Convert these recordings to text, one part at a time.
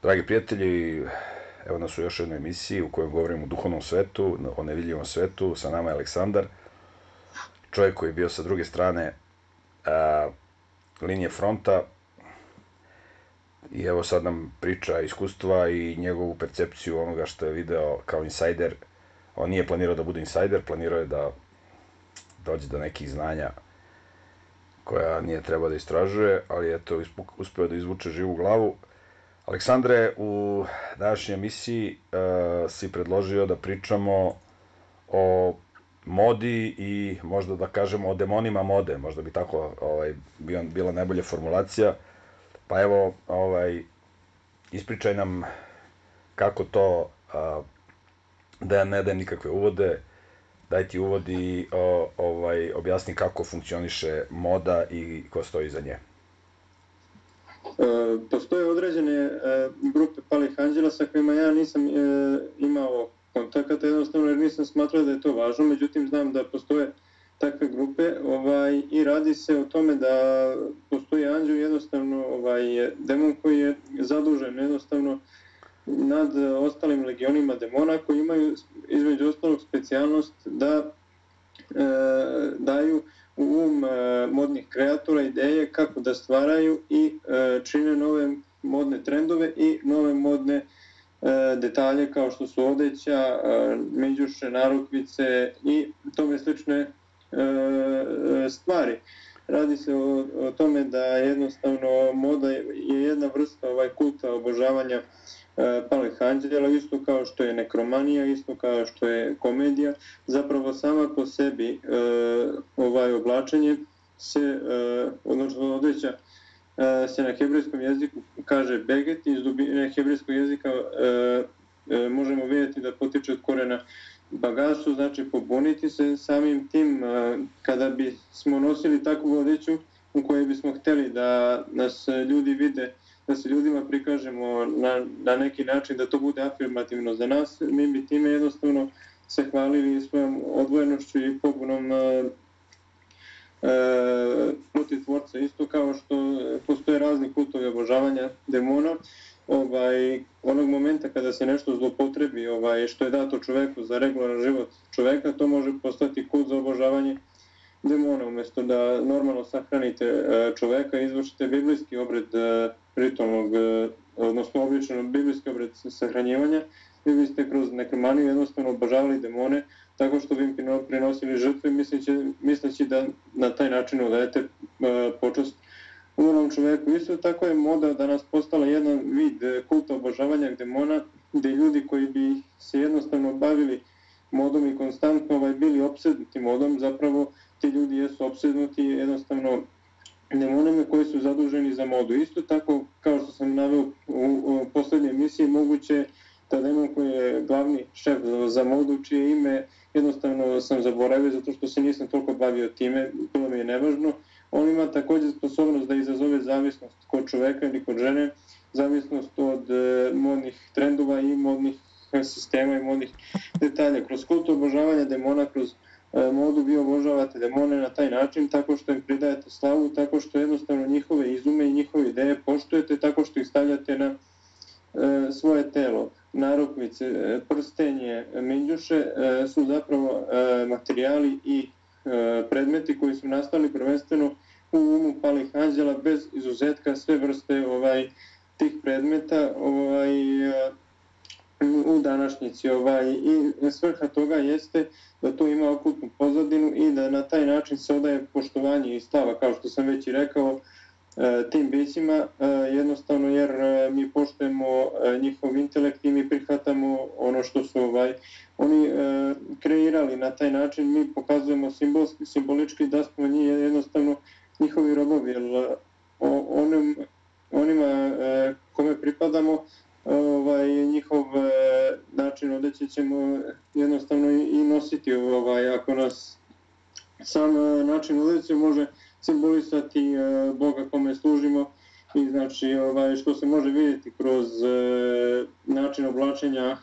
Dragi prijatelji, evo nas u još jednoj emisiji u kojoj govorimo o duhovnom svetu, o nevidljivom svetu. Sa nama je Aleksandar, čovjek koji je bio sa druge strane linije fronta i evo sad nam priča iskustva i njegovu percepciju onoga što je video kao insajder. On nije planirao da bude insajder, planirao je da dođe do nekih znanja koja nije trebao da istražuje, ali eto, uspeo da izvuče živu glavu. Aleksandre, u današnjoj emisiji si predložio da pričamo o modi i možda da kažemo o demonima mode, možda bi tako bila najbolja formulacija. Pa evo, ispričaj nam kako to, da ja ne dajem nikakve uvode, daj ti uvod i objasni kako funkcioniše moda i ko stoji iza nje. Postoje određene grupe palih anđela sa kojima ja nisam imao kontakata jednostavno jer nisam smatrao da je to važno, međutim znam da postoje takve grupe i radi se o tome da postoji anđel jednostavno demon koji je zadužen jednostavno nad ostalim legionima demona koji imaju između ostalog specijalnost da daju u modnih kreatora ideje kako da stvaraju i čine nove modne trendove i nove modne detalje kao što su odeća, međuše, narukvice i tome slične stvari. Radi se o tome da jednostavno moda je jedna vrsta kulta obožavanja palih anđela, isto kao što je nekromanija, isto kao što je komedija. Zapravo sama po sebi oblačenje se, odnosno odeća se na hebrejskom jeziku kaže beget, iz dubine hebrejskog jezika možemo vidjeti da potiče od korena bagasu, znači pobuniti se. Samim tim kada bismo nosili takvu odeću u kojoj bismo hteli da nas ljudi vide, da se ljudima prikažemo na neki način, da to bude afirmativno za nas, mi bi time jednostavno se hvalili svojom odvojenošću i pobunom protiv tvorca, isto kao što postoje razni kultovi obožavanja demona. Onog momenta kada se nešto zlopotrebi, što je dato čoveku za regularan život čoveka, to može postati kult za obožavanje demona. Umesto da normalno sahranite čoveka, izvršite biblijski obred ritualnog, odnosno običan biblijski obred sahranjivanja, vi biste kroz nekromaniju jednostavno obožavali demone tako što bi im prinosili žrtve misleći da na taj način odajete počast umrlom čoveku. Isto tako je moda danas postala jedan vid kulta obožavanja demona, gde ljudi koji bi se jednostavno bavili modom i konstantno bili opsednuti modom, zapravo ti ljudi jesu opsednuti jednostavno demonima koji su zaduženi za modu. Isto tako, kao što sam naveo u poslednjoj emisiji, moguće da demon koji je glavni šef za modu, čije ime jednostavno sam zaboravio zato što se nisam toliko bavio time, bilo mi je nevažno, on ima također sposobnost da izazove zavisnost kod čoveka ili kod žene, zavisnost od modnih trendova i modnih sistema i modnih detalja. Kroz kult obožavanja demona, kroz modu vi obožavate demone na taj način, tako što im pridajete slavu, tako što jednostavno njihove izume i njihove ideje poštujete, tako što ih stavljate na svoje telo. Narukvice, prstenje, minđuše su zapravo materijali i predmeti koji su nastali prvenstveno u umu palih anđela, bez izuzetka sve vrste tih predmeta u današnjici. I svrha toga jeste da to ima okultnu pozadinu i da na taj način se odaje poštovanje i slava, kao što sam već i rekao, tim bićima, jednostavno jer mi poštujemo njihov intelekt i mi prihvatamo ono što su oni kreirali. Na taj način mi pokazujemo simbolički da smo jednostavno njihovi robovi, jer onima kome pripadamo, njihov način odeće ćemo jednostavno i nositi. Ako nas sam način odeće može simbolisati Boga kome služimo i znači što se može vidjeti kroz način oblačenja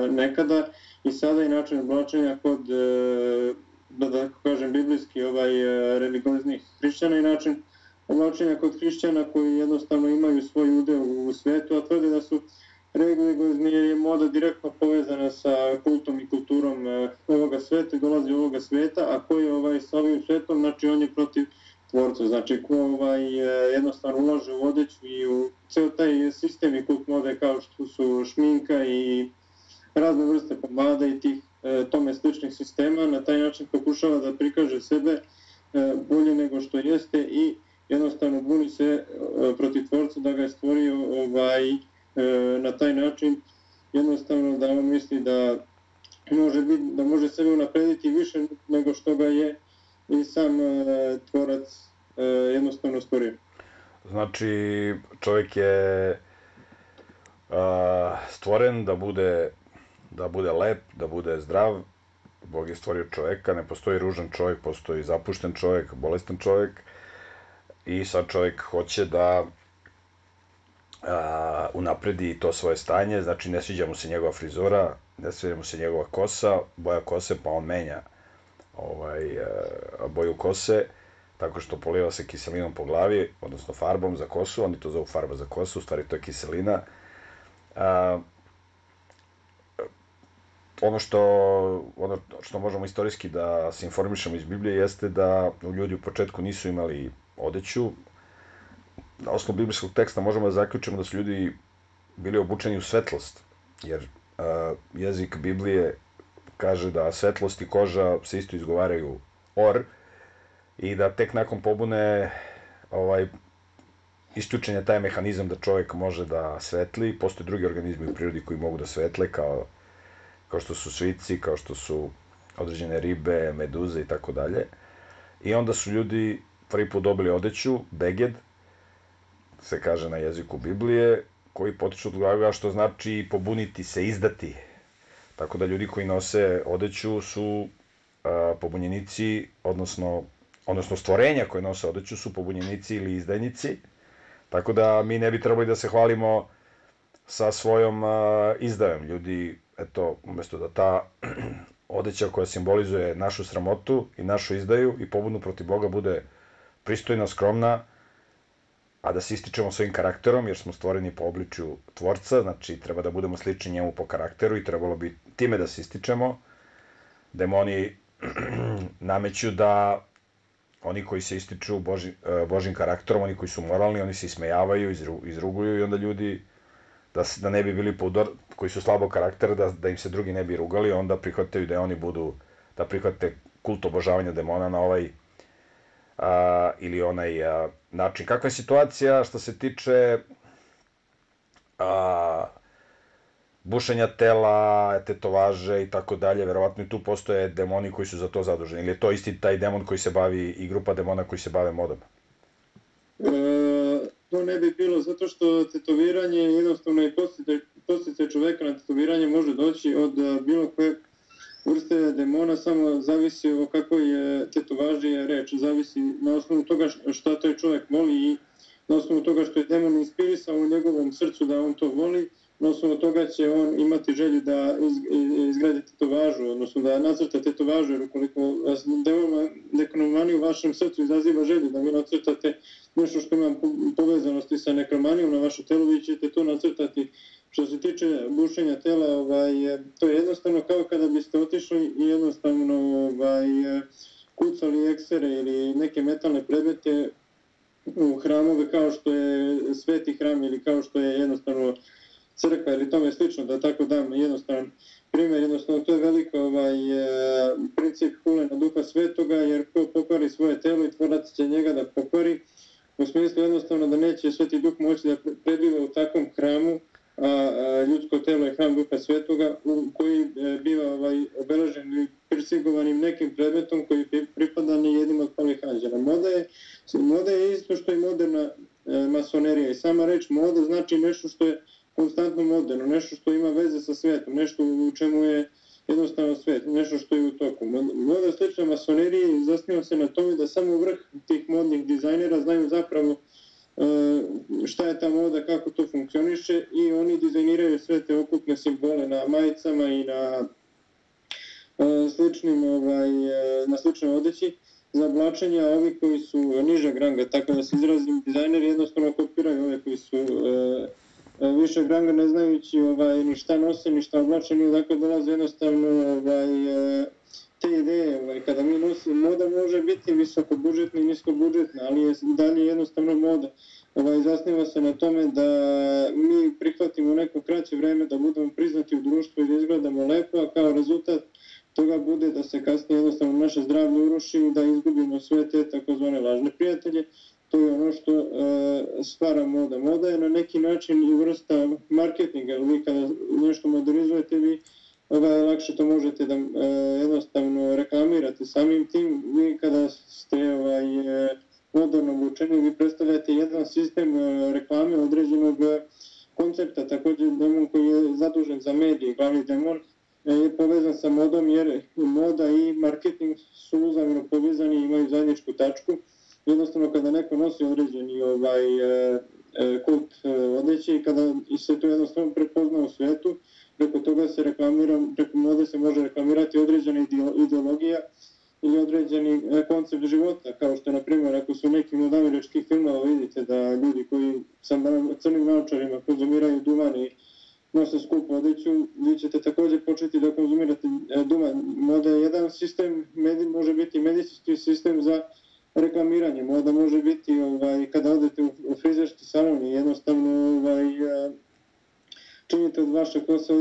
nekada i sada i način oblačenja kod, da kažem, biblijski religioznih hrišćana i način oblačenja kod hrišćana koji jednostavno imaju svoj udeo u svetu svetu, a tvrde da su religiozni jer je moda direktno povezana sa kultom i kulturom ovoga sveta i dolazi ovoga sveta, a ko je sa ovim svetom, znači on je protiv tvorca, znači ko jednostavno ulaže u odeću i u ceo taj sistem i kult mode kao što su šminka i razne vrste pomada i tih tome sličnih sistema, na taj način pokušava da prikaže sebe bolje nego što jeste i jednostavno buni se protiv tvorca da ga je stvorio na taj način, jednostavno da on misli da može sebe unaprediti više nego što ga je i sam tvorac jednostavno stvorio. Znači, čovjek je stvoren da bude lep, da bude zdrav. Bog je stvorio čovjeka, ne postoji ružan čovjek, postoji zapušten čovjek, bolestan čovjek. I sad čovjek hoće da unapredi to svoje stanje, znači ne sviđa mu se njegova frizura, ne sviđa mu se njegova kosa, boja kose, pa on menja boju kose, tako što poliva se kiselinom po glavi, odnosno farbom za kosu, oni to zovu farba za kosu, u stvari to je kiselina. Ono što možemo istorijski da se informišemo iz Biblije jeste da ljudi u početku nisu imali odeću. Na osnovu biblijskog teksta možemo da zaključimo da su ljudi bili obučeni u svetlost, jer jezik Biblije kaže da svetlost i koža se isto izgovaraju or i da tek nakon pobune isključen je taj mehanizam da čovjek može da svetli. Postoje drugi organizmi u prirodi koji mogu da svetle, kao što su svici, kao što su određene ribe, meduze i tako dalje. I onda su ljudi prvi put dobili odeću, beged, se kaže na jeziku Biblije, koji potiču od glaga što znači pobuniti se, izdati. Tako da ljudi koji nose odeću su pobunjenici, odnosno stvorenja koje nose odeću su pobunjenici ili izdajnici. Tako da mi ne bi trebali da se hvalimo sa svojom izdajom. Ljudi, eto, umjesto da ta odeća koja simbolizuje našu sramotu i našu izdaju i pobunu protiv Boga bude pristojna, skromna, a da se ističemo svojim karakterom, jer smo stvoreni po obličju tvorca, znači treba da budemo slični njemu po karakteru i trebalo bi time da se ističemo. Demoni nameću da oni koji se ističu Božim karakterom, oni koji su moralni, oni se ismejavaju, izruguju i onda ljudi, da ne bi bili koji su slabog karaktera, da im se drugi ne bi rugali, onda prihvataju da oni budu, da prihvate kult obožavanja demona na ovaj ili onaj način. Kakva je situacija što se tiče bušenja tela, tetovaže i tako dalje? Verovatno i tu postoje demoni koji su za to zaduženi. Ili je to isti taj demon koji se bavi i grupa demona koji se bave modom? To ne bi bilo, zato što tetoviranje jednostavno i posticaj čoveka na tetoviranje može doći od bilo koje vrste demona, samo zavisi o kakvoj tetovaži je reč, zavisi na osnovu toga šta taj čovjek voli i na osnovu toga što je demon inspirisao u njegovom srcu da on to voli, na osnovu toga će on imati želju da izgradi tetovažu, odnosno da nacrta tetovažu, jer ukoliko nekromanija u vašem srcu izaziva želju da vi nacrtate nešto što ima povezanosti sa nekromanijom na vaše telo, vi ćete to nacrtati. Što se tiče bušenja tela, to je jednostavno kao kada biste otišli i jednostavno kucali eksere ili neke metalne predmete u hramove kao što je Sveti hram ili kao što je jednostavno crkva ili tome slično, da tako dam jednostavan primjer. Jednostavno to je veliko princip hulena Duha Svetoga, jer ko pokvari svoje telo i tvorac će njega da pokvari, u smislu jednostavno da neće Sveti Duh moći da prebiva u takvom hramu, a ljudsko telo je hram Duha Svetoga koji biva obeležen ili prisigovanim nekim predmetom koji pripada ni jednim od palih anđela. Moda je isto što i moderna masonerija i sama reč moda znači nešto što je konstantno moderno, nešto što ima veze sa svetom, nešto u čemu je jednostavno svet, nešto što je u toku. Moda slična masoneriji zasniva se na tome da samo vrh tih modnih dizajnera znaju zapravo šta je ta moda, kako to funkcioniše i oni dizajniraju sve te okupne simbole na majicama i na sličnoj odeći za oblačenje, a ovi koji su nižeg ranga, tako da se izrazim, dizajneri jednostavno kopiraju ove koji su višeg ranga ne znajući ni šta nose, ni šta oblače, ni odakle dolaze jednostavno te ideje. Kada mi nosimo, moda može biti visokobudžetna i niskobudžetna, ali je dalje jednostavno moda. Zasniva se na tome da mi prihvatimo neko kraće vreme da budemo priznati u društvu i da izgledamo lepo, a kao rezultat toga bude da se kasnije jednostavno naše zdravlje uruši i da izgubimo sve te takozvane lažne prijatelje. To je ono što stvara moda. Moda je na neki način i vrsta marketinga, jer vi kada nešto modernizujete, vi lakše to možete da jednostavno reklamirate. Samim tim, vi kada ste moderno obučeni, vi predstavljate jedan sistem reklame određenog koncepta. Također, demon koji je zadužen za medije, glavni demon, je povezan sa modom, jer moda i marketing su uzajamno povezani i imaju zajedničku tačku. Jednostavno, kada neko nosi određeni kult odeće i kada se to jednostavno prepozna u svetu, preko toga se reklamira, preko mode se može reklamirati određena ideologija ili određeni koncept života, kao što, na primjer, ako su nekim od američkih filmova vidite da ljudi koji sa crnim naočarima konzumiraju duvan i nose skupu odeću, vi ćete također početi da konzumirate duvan. Moda je jedan sistem, može biti medicinski sistem za reklamiranje. Moda može biti kada odete u frizerski salon i jednostavno činite od vaše kose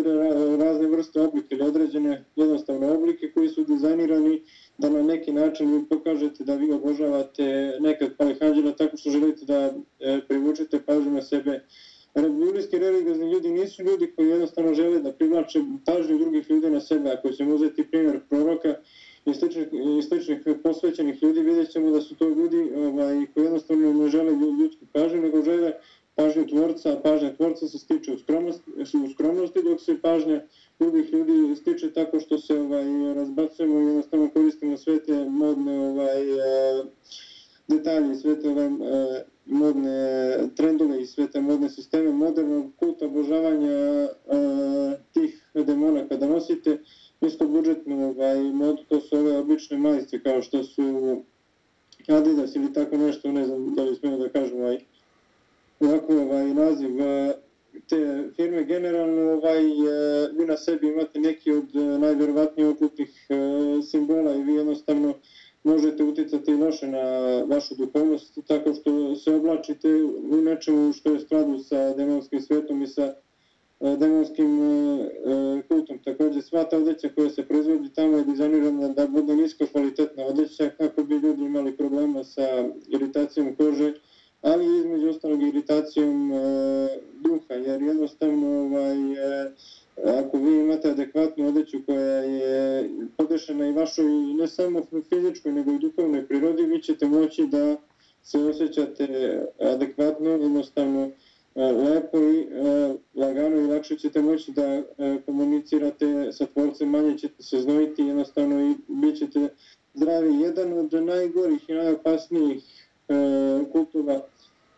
razne vrste oblike ili određene jednostavne oblike koji su dizajnirani da na neki način vi pokažete da vi obožavate nekad palih anđela tako što želite da privučete pažnju na sebe. Biblijski religiozni ljudi nisu ljudi koji jednostavno žele da privlače pažnju drugih ljudi na sebe. Ako ćemo uzeti primjer proroka i sličnih posvećenih ljudi, vidjet ćemo da su to ljudi koji jednostavno ne žele ljudsku pažnju, nego žele pažnju tvorca, a pažnja tvorca se stiče u skromnosti, dok se pažnja drugih ljudi stiče tako što se razbacujemo i jednostavno koristimo sve te modne detalje, sve te modne trendove i sve te modne sisteme modernog kulta obožavanja tih demona. Kada nosite niskobudžetnu modu, to su ove obične majice kao što su Adidas ili tako nešto, ne znam da li smemo da kažem ovako naziv te firme. Generalno vi na sebi imate neki od najvjerovatnijih okultnih simbola i vi jednostavno možete uticati loše na vašu duhovnost tako što se oblačite u nečemu što je skladu sa demonskim svetom i sa demonskim kultom. Također, sva ta odeća koja se proizvodi tamo je dizajnirana da bude nisko kvalitetna odeća kako bi ljudi imali problema sa iritacijom kože, ali između ostalog iritacijom duha, jer jednostavno ako vi imate adekvatnu odeću koja je podešena i vašoj ne samo fizičkoj nego i duhovnoj prirodi, vi ćete moći da se osjećate adekvatno, jednostavno lepo i lagano i lakše ćete moći da komunicirate sa tvorcem, manje ćete se znojiti jednostavno i bit ćete zdravi. Jedan od najgorih i najopasnijih kultova,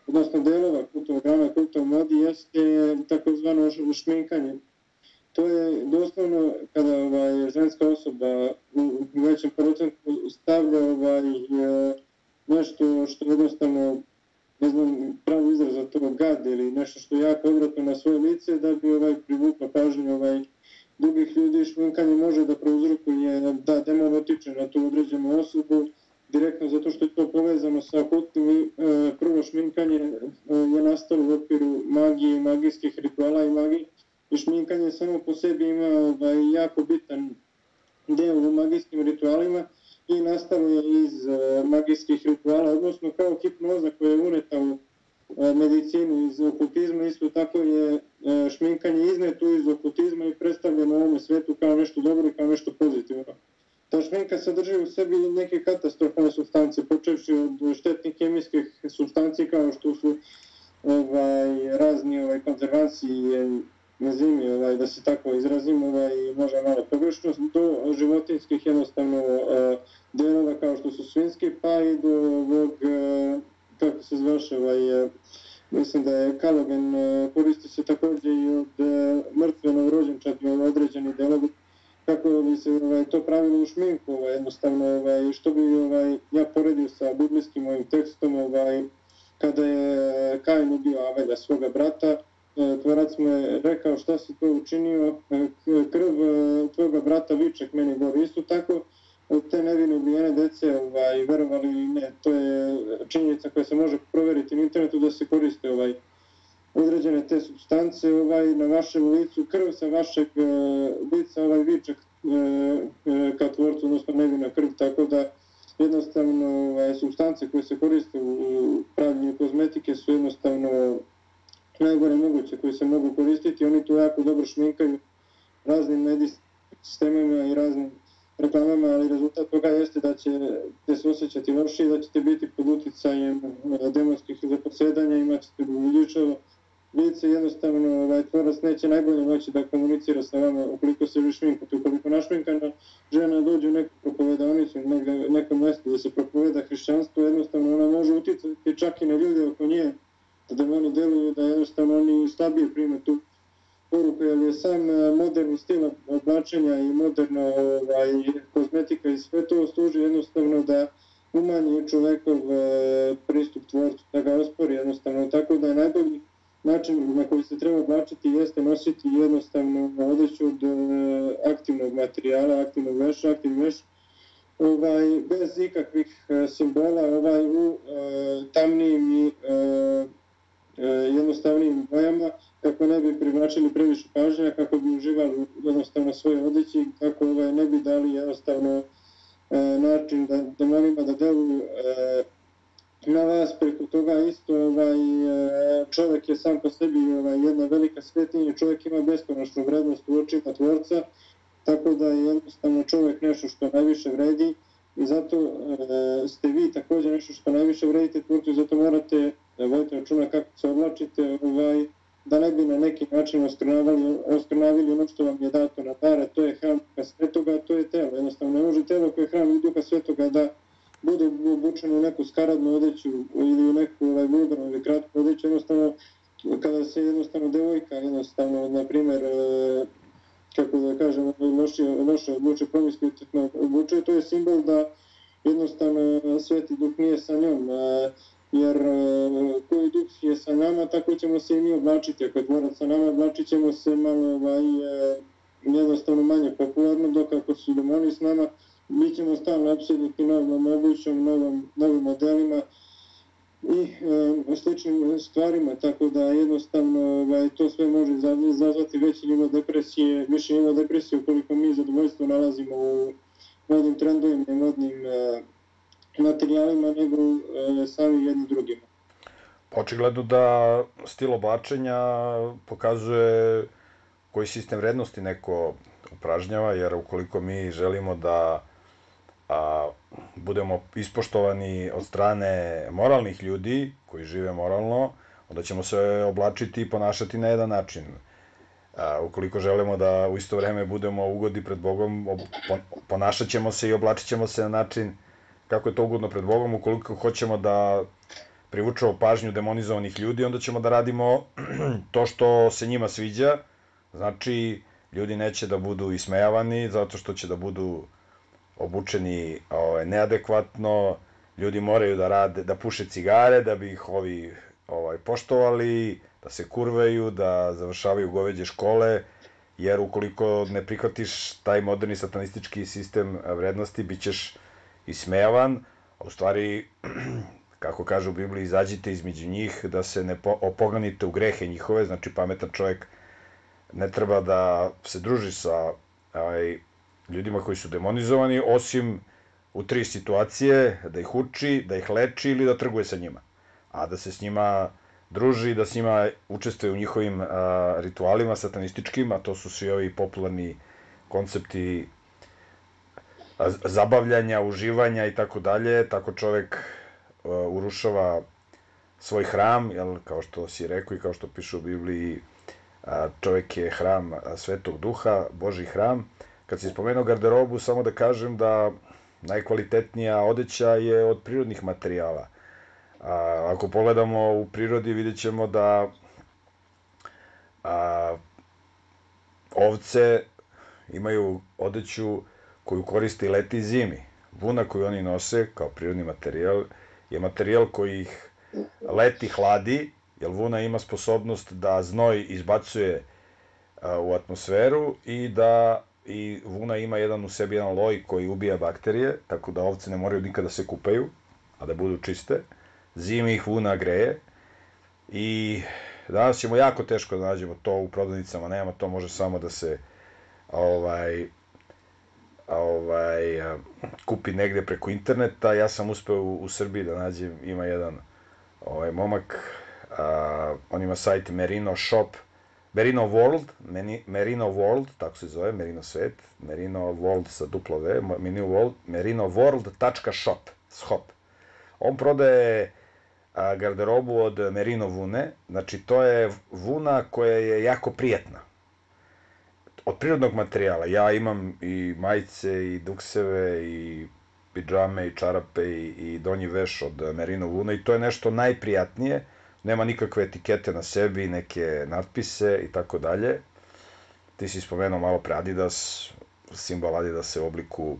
odnosno delova kultova grana, kultova modi jeste takozvano šminkanje. To je doslovno kada ženska osoba u većem procentu stavlja nešto što jednostavno, ne znam pravi izraz za to, gad ili nešto što je jako odvratno na svoje lice da bi privukla pažnju drugih ljudi. Šminkanje može da prouzrokuje da demon otiče na tu određenu osobu direktno zato što je to povezano sa okultnim i prvo šminkanje je nastalo u okviru magije i magijskih rituala i magije. I šminkanje samo po sebi ima jako bitan deo u magijskim ritualima i nastalo je iz magijskih rituala, odnosno kao hipnoza koja je uneta u medicinu iz okultizma, isto tako je šminkanje izneto iz okultizma i predstavljeno u ovome svetu kao nešto dobro i kao nešto pozitivno. Ta šminka sadrži u sebi neke katastrofalne supstance, počevši od štetnih kemijskih supstanci kao što su razni konzervansi, enzimi, da se tako izrazim, možda malo pogrešno, do životinskih jednostavno delova kao što su svinjski, pa i do ovog, kako se zvaše, mislim da je kalogen, koristi se također i od mrtve novorođenčadi određeni delovi, kako bi se to pravilo u šminku, jednostavno, što bi ja poredio sa biblijskim ovim tekstom, kada je Kain ubio Avelja, svoga brata, tvorac mu je rekao šta si to učinio, krv tvoga brata viček meni gori. Isto tako, te nevine ubijene dece, verovali ili ne, to je činjenica koja se može proveriti na internetu da se koriste određene te supstance na vašem licu, krv sa vašeg lica, viček ka tvorcu, odnosno nevina krv, tako da jednostavno supstance koje se koriste u pravljenju kozmetike su jednostavno najgore moguće koje se mogu koristiti. Oni to jako dobro šminkaju raznim medijskim sistemima i raznim reklamama, ali rezultat toga jeste da ćete se osjećati loši i da ćete biti pod uticajem demonskih zaposedanja, imat ćete budućavo lice. Jednostavno tvorac neće najbolje moći da komunicira sa vama ukoliko se vi šminkate. Ukoliko našminkana žena dođe u neku propovedanicu, nekom mjestu da se propoveda hrišćanstvo, jednostavno ona može uticati čak i na ljude oko nje, da demoni deluju, da jednostavno oni slabije prime tu poruku, jer je sam moderni stil oblačenja i moderna kozmetika i sve to služi jednostavno da umanji čovekov pristup tvorcu, da ga ospori jednostavno, tako da je najbolji način na koji se treba oblačiti jeste nositi jednostavno odeću od aktivnog materijala, aktivnog veša, aktivni veš, bez ikakvih simbola, u tamnijim i jednostavnijim bojama, kako ne bi privlačili previše pažnja, kako bi uživali jednostavno svoje odeći, kako ne bi dali jednostavno način da demonima da deluju na vas. Preko toga isto čovjek je sam po sebi jedna velika svetinja, čovjek ima beskonačnu vrednost u očima tvorca, tako da je jednostavno čovjek nešto što najviše vredi i zato ste vi također nešto što najviše vredite tvorcu i zato morate voditi računa kako se oblačite, da ne bi na neki način oskrnavili ono što vam je dato na dar, a to je hram Duha Svetoga, a to je telo. Jednostavno ne može telo koje je hram Duha Svetoga da bude obučeno u neku skaradnu odeću ili u neku vulgarnu ili kratku odeću. Jednostavno, kada se jednostavno devojka, jednostavno, na primjer, kako da kažem, loše odluče, promiskuitetno odlučuje, to je simbol da jednostavno Sveti Duh nije sa njom. Jer koji duh je sa nama, tako ćemo se i mi oblačiti. Ako je tvorac sa nama, oblačit ćemo se malo jednostavno manje popularno, dok ako su demoni s nama, bit ćemo stalno apsolutni novom obućom, novim modelima i sličnim stvarima, tako da jednostavno to sve može izazvati veći nivo depresije, više nivo depresije ukoliko mi zadovoljstvo nalazimo u modnim trendovima i modnim materijalima nego sami jedni drugima. Očigledno da stil oblačenja pokazuje koji sistem vrednosti neko upražnjava, jer ukoliko mi želimo da budemo ispoštovani od strane moralnih ljudi koji žive moralno, onda ćemo se oblačiti i ponašati na jedan način. Ukoliko želimo da u isto vreme budemo ugodni pred Bogom, ponašat ćemo se i oblačit ćemo se na način kako je to ugodno pred Bogom. Ukoliko hoćemo da privučemo pažnju demonizovanih ljudi, onda ćemo da radimo to što se njima sviđa. Znači, ljudi neće da budu ismejavani zato što će da budu obučeni neadekvatno, ljudi moraju da puše cigare da bi ih ovi poštovali, da se kurveju, da završavaju goveđe škole, jer ukoliko ne prihvatiš taj moderni satanistički sistem vrednosti, bit ćeš ismejavan, a u stvari, kako kaže u Bibliji, izađite između njih da se ne opoganite u grehe njihove. Znači, pametan čovjek ne treba da se druži sa ljudima koji su demonizovani, osim u 3 situacije: da ih uči, da ih leči ili da trguje sa njima. A da se s njima druži, da s njima učestvuje u njihovim ritualima satanističkim, a to su svi ovi popularni koncepti zabavljanja, uživanja i tako dalje. Tako čovek urušava svoj hram, kao što si rekao i kao što piše u Bibliji, čovek je hram Svetog Duha, Božji hram. Kad si spomenuo garderobu, samo da kažem da najkvalitetnija odeća je od prirodnih materijala. Ako pogledamo u prirodi, vidjet ćemo da ovce imaju odeću koju koriste i leti i zimi. Vuna koju oni nose kao prirodni materijal je materijal koji ih leti hladi jer vuna ima sposobnost da znoj izbacuje u atmosferu i vuna ima u sebi jedan loj koji ubija bakterije, tako da ovce ne moraju nikada da se kupaju, a da budu čiste. Zimi ih vuna greje i danas ćemo jako teško da nađemo to u prodavnicama, nema, to može samo da se kupi negde preko interneta. Ja sam uspeo u Srbiji da nađem, ima jedan momak, on ima sajt Merino Shop, Merino World, tako se zove, Merino svet, Merino World sa duplo V, merinoworld.shop. On prodaje garderobu od merino vune, znači to je vuna koja je jako prijatna. Od prirodnog materijala. Ja imam i majice, i dukseve, i pidžame, i čarape, i donji veš od merino vune i to je nešto najprijatnije. Nema nikakve etikete na sebi, neke natpise i tako dalje. Ti si spomenuo malo pre Adidas, simbol Adidasa u obliku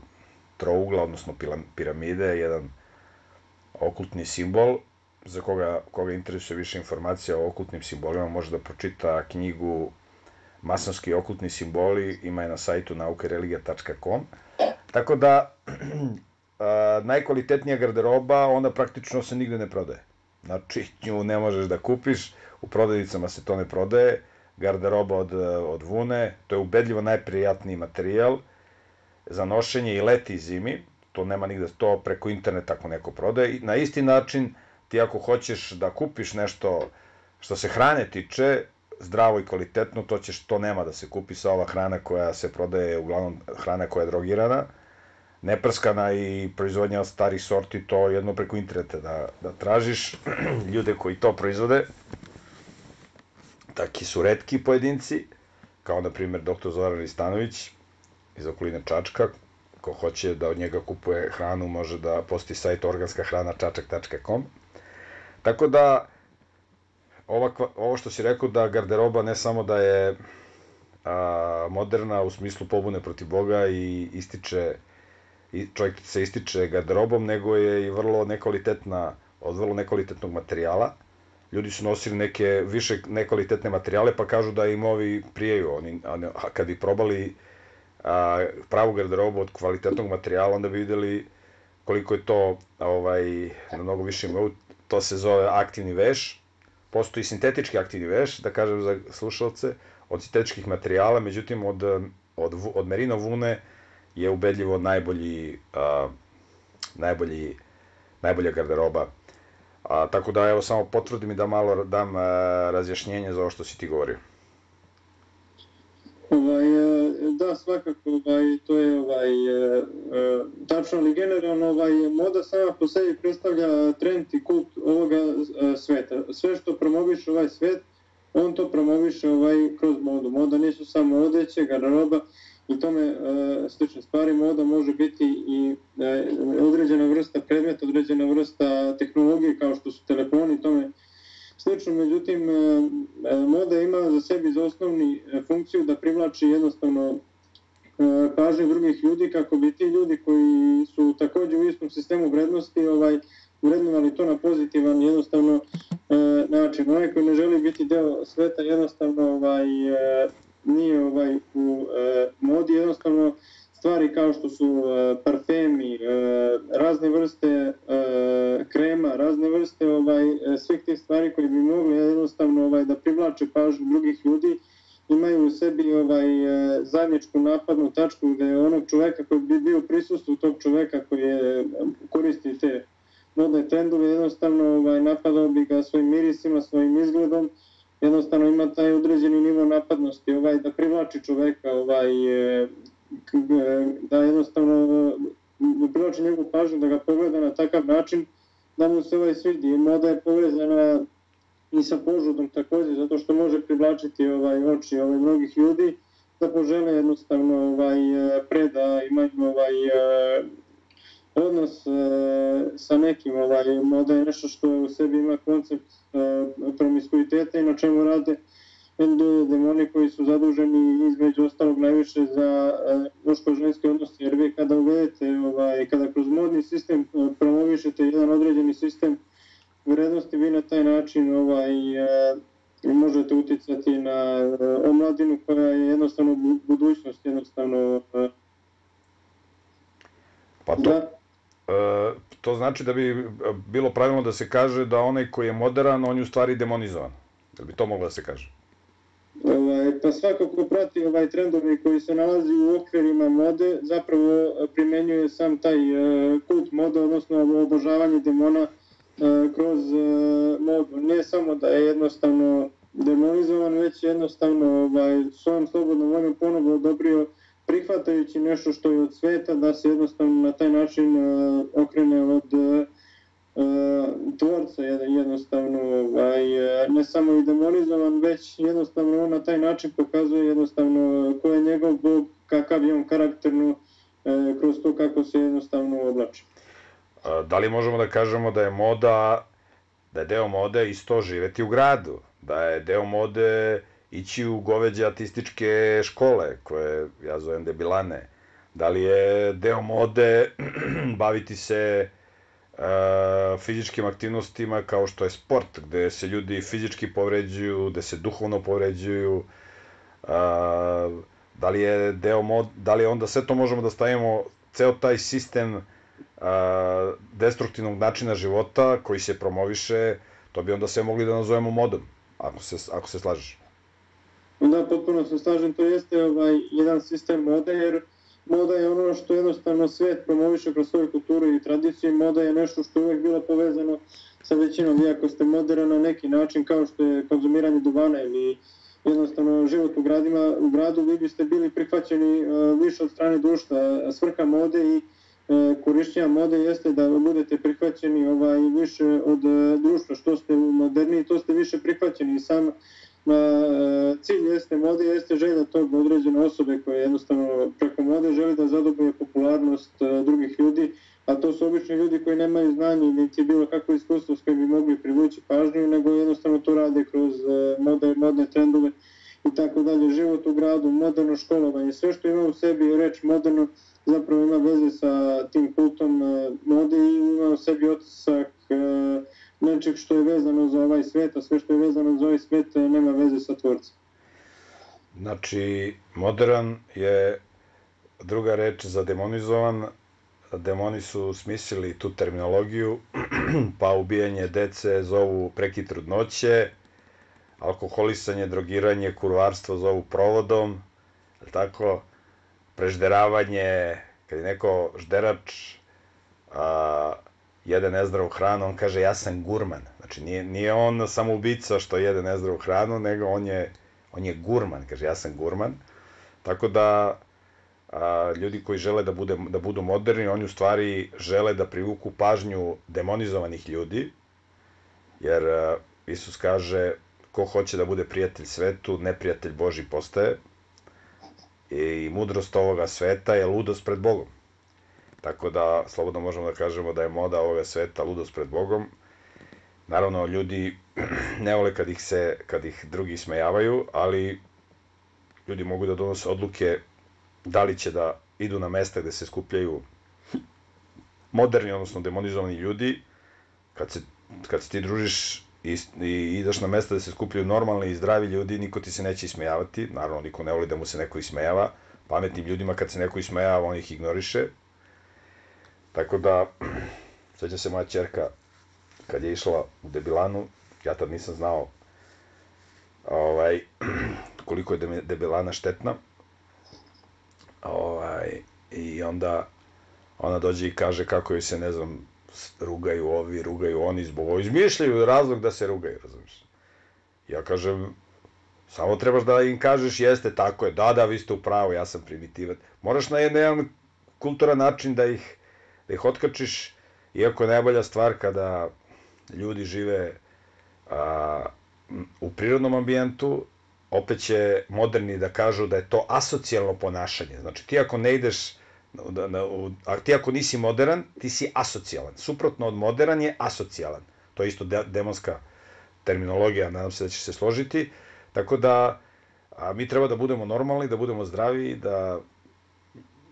trougla, odnosno piramide, jedan okultni simbol. Za koga interesuje više informacija o okultnim simbolima, može da pročita knjigu Masonski i okultni simboli, ima je na sajtu naukareligija.com. Tako da, najkvalitetnija garderoba, ona praktično se nigde ne prodaje. Znači, nju ne možeš da kupiš, u prodavnicama se to ne prodaje, garderoba od vune, to je ubedljivo najprijatniji materijal za nošenje i leti i zimi, to nema nigde, to preko interneta ako neko prodaje. I na isti način, ti ako hoćeš da kupiš nešto što se hrane tiče, zdravo i kvalitetno, to nema da se kupi sa ova hrana koja se prodaje, uglavnom hrana koja je drogirana, neprskana i proizvodnja od starih sorti, to jedno preko interneta da tražiš ljude koji to proizvode. Taki su retki pojedinci, kao na primjer dr. Zoran Ristanović iz okoline Čačka. Ko hoće da od njega kupuje hranu, može da posti sajt organskahrana.čačak.com. Tako da, ovo što si rekao da garderoba ne samo da je moderna u smislu pobune protiv Boga i čovjek se ističe garderobom, nego je i vrlo nekvalitetna, od vrlo nekvalitetnog materijala. Ljudi su nosili neke više nekvalitetne materijale, pa kažu da im ovi prijaju. A kad bi probali pravu garderobu od kvalitetnog materijala, onda bi videli koliko je to na mnogo više nivou. To se zove aktivni veš. Postoji sintetički aktivni veš, da kažem za slušalce, od sintetičkih materijala, međutim od merino vune je ubedljivo najbolja garderoba. Tako da, evo, samo potvrdim i da malo dam razjašnjenje za ovo što si ti govorio. Da, svakako, to je tačno, ali generalno moda sama po sebi predstavlja trend i kult ovoga sveta. Sve što promoviše ovaj svet, on to promoviše kroz modu. Moda nisu samo odeće, garderoba i tome slične stvari. Moda može biti i određena vrsta predmeta, određena vrsta tehnologije kao što su telefoni i tome slično. Međutim, moda ima za sebi za osnovni funkciju da privlači jednostavno pažnju drugih ljudi, kako bi ti ljudi koji su takođe u istom sistemu vrednosti vrednovali to na pozitivan jednostavno način. Onaj koji ne želi biti deo sveta jednostavno nije u modi, jednostavno stvari kao što su parfemi, razne vrste krema, razne vrste svih tih stvari koji bi mogli jednostavno da privlače pažnju drugih ljudi, imaju u sebi zajedničku napadnu tačku gde onog čoveka koji bi bio prisustvu tog čoveka koji koristi te modne trendove, jednostavno napadao bi ga svojim mirisima, svojim izgledom, jednostavno ima taj određeni nivo napadnosti, da privlači čoveka, da jednostavno privlači njegovu pažnju, da ga pogleda na takav način, da mu se svidi. Moda je povezana i sa požudom takođe, zato što može privlačiti oči mnogih ljudi, da požele jednostavno pre da imaju odnos sa nekim. Moda je nešto što u sebi ima koncept promiskuiteta i na čemu rade demoni koji su zaduženi između ostalog najviše za muško-ženske odnose, jer vi kada uvedete, kada kroz modni sistem promovišete jedan određeni sistem vrednosti, vi na taj način možete uticati na omladinu koja je jednostavno budućnost, jednostavno Pa to znači da bi bilo pravilno da se kaže da onaj koji je modern, on je u stvari demonizovan. Da bi to moglo da se kaže? Pa svakako prati trendovi koji se nalazi u okvirima mode, zapravo primenjuje sam taj kult mode, odnosno obožavanje demona kroz modu. Ne samo da je jednostavno demonizovan, već jednostavno svojom slobodnom voljom ponovo odobrio, prihvatajući nešto što je od sveta, da se jednostavno na taj način okrene od tvorca, jednostavno ne samo i demonizovan, već jednostavno on na taj način pokazuje jednostavno ko je njegov bog, kakav je on karakterno kroz to kako se jednostavno oblači. Da li možemo da kažemo da je moda, da je deo mode isto živeti u gradu, da je deo mode ići u goveđe artističke škole, koje ja zovem debilane, da li je deo mode baviti se fizičkim aktivnostima kao što je sport, gde se ljudi fizički povređuju, gde se duhovno povređuju, da li je deo mode, da li onda sve to možemo da stavimo, ceo taj sistem destruktivnog načina života koji se promoviše, to bi onda sve mogli da nazovemo modom, ako se slažeš. Da, potpuno se slažem, to jeste jedan sistem mode, jer moda je ono što jednostavno svet promoviše kroz svoju kulturu i tradiciju. Moda je nešto što je uvek bilo povezano sa većinom. Vi ako ste modern na neki način, kao što je konzumiranje duvana ili jednostavno život u gradu, vi biste bili prihvaćeni više od strane društva. Svrha mode i korišćenja mode jeste da budete prihvaćeni više od društva. Što ste moderniji, to ste više prihvaćeni. I sam cilj jeste mode, jeste želja tog određene osobe koja jednostavno preko mode želi da zadobije popularnost drugih ljudi, a to su obični ljudi koji nemaju znanje niti bilo kakvo iskustvo s kojim bi mogli privući pažnju, nego jednostavno to rade kroz modne trendove i tako dalje. Život u gradu, moderno školovanje, sve što ima u sebi reč moderno zapravo ima veze sa tim kultom mode i ima u sebi otisak nečeg što je vezano za ovaj svet, a sve što je vezano za ovaj svet nema veze sa tvorcem. Znači, modern je druga reč za demonizovan. Demoni su smislili tu terminologiju, pa ubijanje dece zovu prekid trudnoće, alkoholisanje, drogiranje, kurvarstvo zovu provodom, tako, prežderavanje, kad je neko žderač, jede nezdravu hranu, on kaže ja sam gurman. Znači nije on samo ubica što jede nezdravu hranu, nego on je gurman, kaže ja sam gurman. Tako da ljudi koji žele da budu moderni, oni u stvari žele da privuku pažnju demonizovanih ljudi, jer Isus kaže ko hoće da bude prijatelj svetu, neprijatelj Božji postaje. I mudrost ovoga sveta je ludost pred Bogom. Tako da, slobodno možemo da kažemo da je moda ovoga sveta ludost pred Bogom. Naravno, ljudi ne vole kad ih drugi ismejavaju, ali ljudi mogu da donose odluke da li će da idu na mesta gde se skupljaju moderni, odnosno demonizovani ljudi. Kad se ti družiš i ideš na mesta gde se skupljaju normalni i zdravi ljudi, niko ti se neće ismejavati. Naravno, niko ne voli da mu se neko ismejava. Pametnim ljudima kad se neko ismejava, on ih ignoriše. Tako da, sveća se moja ćerka kad je išla u debilanu, ja tad nisam znao koliko je debilana štetna. I onda ona dođe i kaže kako joj se, ne znam, rugaju ovi, rugaju oni, zbog ovo izmišljaju razlog da se rugaju, razumiješ. Ja kažem, samo trebaš da im kažeš jeste, tako je, da, vi ste u pravu, ja sam primitivac. Moraš na jedan kulturan način da ih otkačiš, iako je najbolja stvar kada ljudi žive u prirodnom ambijentu, opet će moderni da kažu da je to asocijalno ponašanje. Znači, ti ako ne ideš, ti ako nisi modern, ti si asocijalan. Suprotno od modern je asocijalan. To je isto demonska terminologija, nadam se da će se složiti. Tako da, mi treba da budemo normalni, da budemo zdravi, da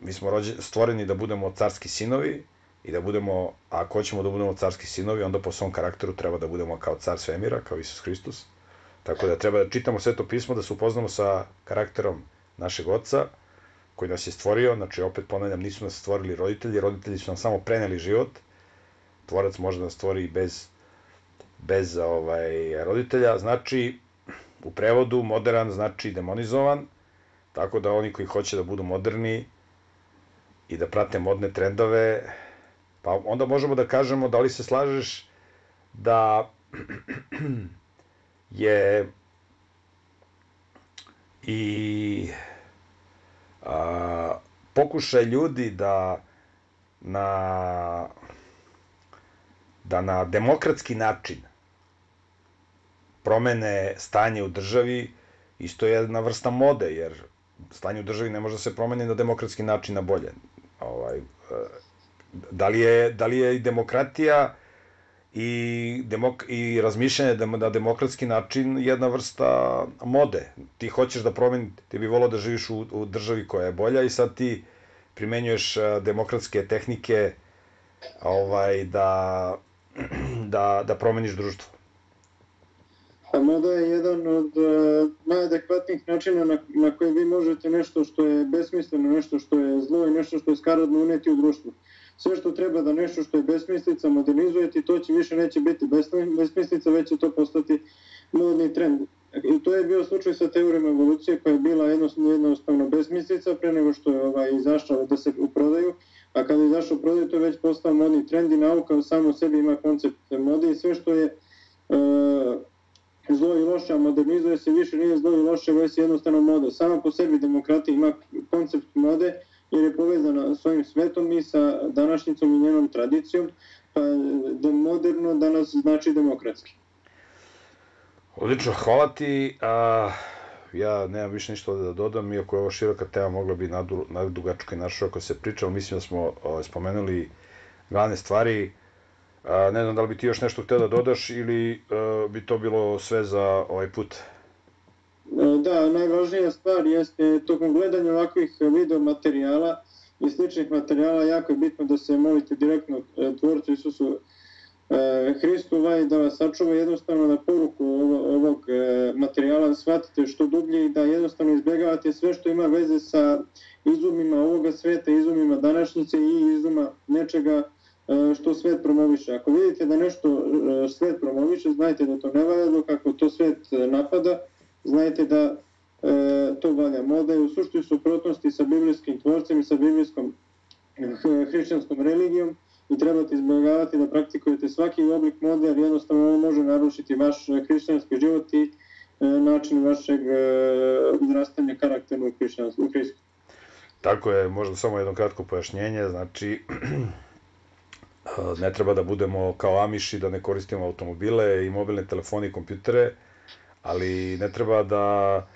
mi smo stvoreni da budemo carski sinovi i da budemo, ako hoćemo da budemo carski sinovi, onda po svom karakteru treba da budemo kao car svemira, kao Isus Hristos. Tako da treba da čitamo Sveto pismo, da se upoznamo sa karakterom našeg oca, koji nas je stvorio. Znači, opet ponavljam, nisu nas stvorili roditelji, roditelji su nam samo preneli život. Tvorac može da nas stvori i bez roditelja. Znači, u prevodu, modern znači demonizovan, tako da oni koji hoće da budu moderni i da prate modne trendove, pa onda možemo da kažemo da li se slažeš da je i pokušaj ljudi da na demokratski način promene stanje u državi isto je jedna vrsta mode, jer stanje u državi ne može da se promeni na demokratski način na bolje. Da li je i demokratija i razmišljanje na demokratski način jedna vrsta mode? Ti hoćeš da promeni, ti bi volao da živiš u državi koja je bolja i sad ti primenjuješ demokratske tehnike da promeniš društvo. A moda je jedan od najadekvatnijih načina na koje vi možete nešto što je besmisleno, nešto što je zlo i nešto što je skaradno uneti u društvo. Sve što treba da nešto što je besmislica modernizujete, to će više neće biti besmislica, već će to postati modni trend. I to je bio slučaj sa teorijom evolucije koja je bila jednostavno besmislica pre nego što je izašla da se u prodaju, a kada je izašao u prodaju to je već postao modni trend i nauka samo u sebi ima koncept mode i sve što je zlo i loše, a modernizuje se više nije zlo i loše, već je jednostavno moda. Sama po sebi demokratija ima koncept mode jer je povezana s ovim svetom i sa današnjicom i njenom tradicijom, pa da moderno danas znači demokratski. Odlično, hvala ti. Ja nemam više ništa da dodam, iako je ovo široka tema, mogla bi nadugačko i naširoko se pričalo. Mislim da smo spomenuli glavne stvari. Ne znam da li bi ti još nešto htio da dodaš ili bi to bilo sve za ovaj put? Da, najvažnija stvar jeste tokom gledanja ovakvih video materijala i sličnih materijala jako je bitno da se molite direktno Tvorcu Isusu Hristu da vas sačuva jednostavno na poruku ovog materijala, shvatite što dublje i da jednostavno izbjegavate sve što ima veze sa izumima ovoga sveta, izumima današnjice i izuma nečega što svet promoviše. Ako vidite da nešto svet promoviše, znajte da to ne valja, dok ako to svet napada, znajte da to valja. Moda je u suštoj suprotnosti sa biblijskim tvorcem i sa biblijskom hrišćanskom religijom i trebate izbjegavati da praktikujete svaki oblik mode, jer jednostavno ovo može narušiti vaš hrišćanski život i način vašeg odrastanja karakternog u Hristu. Tako je, možda samo jedno kratko pojašnjenje, znači ne treba da budemo kao Amiši, da ne koristimo automobile i mobilne telefone i kompjutere, ali ne treba da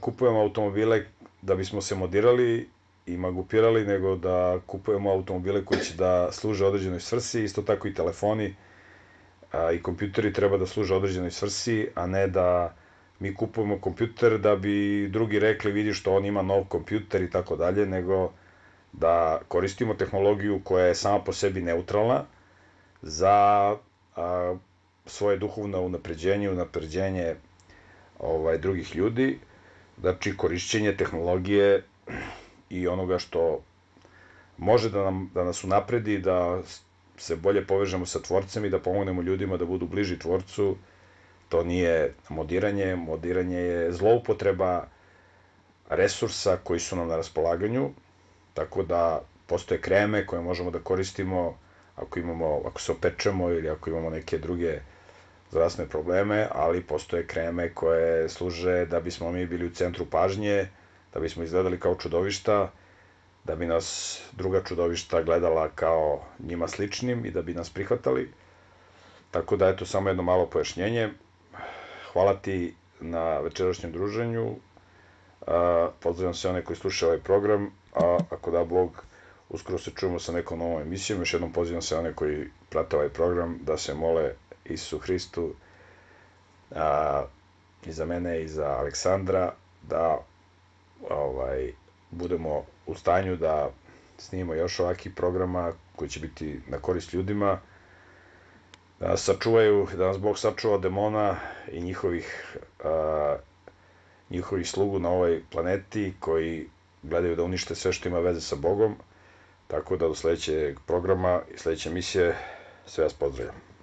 kupujemo automobile da bismo se modirali i magupirali, nego da kupujemo automobile koji će da služe određenoj svrsi, isto tako i telefoni i kompjuteri treba da služe određenoj svrsi, a ne da mi kupujemo kompjuter da bi drugi rekli vidi što on ima nov kompjuter i tako dalje, nego da koristimo tehnologiju koja je sama po sebi neutralna za svoje duhovno unapređenje drugih ljudi, znači korišćenje tehnologije i onoga što može da nas unapredi, da se bolje povežemo sa Tvorcem i da pomognemo ljudima da budu bliži Tvorcu. To nije modiranje, modiranje je zloupotreba resursa koji su nam na raspolaganju, tako da postoje kreme koje možemo da koristimo ako se opečemo ili ako imamo neke druge zdravstvene probleme, ali postoje kreme koje služe da bismo mi bili u centru pažnje, da bismo izgledali kao čudovišta, da bi nas druga čudovišta gledala kao njima sličnim i da bi nas prihvatali. Tako da, eto, samo jedno malo pojašnjenje. Hvala ti na večerašnjem druženju. Pozdravljam sve one koji slušaju ovaj program, a ako da Bog, uskoro se čujemo sa nekom novom emisijom. Još jednom pozivam sve one koji prate ovaj program da se mole Isusu Hristu i za mene i za Aleksandra, da budemo u stanju da snimimo još ovakvih programa koji će biti na korist ljudima, da nas sačuvaju, da nas Bog sačuva od demona i njihovih slugu na ovoj planeti koji gledaju da unište sve što ima veze sa Bogom. Tako da do sledećeg programa i sledeće emisije sve vas pozdravljam.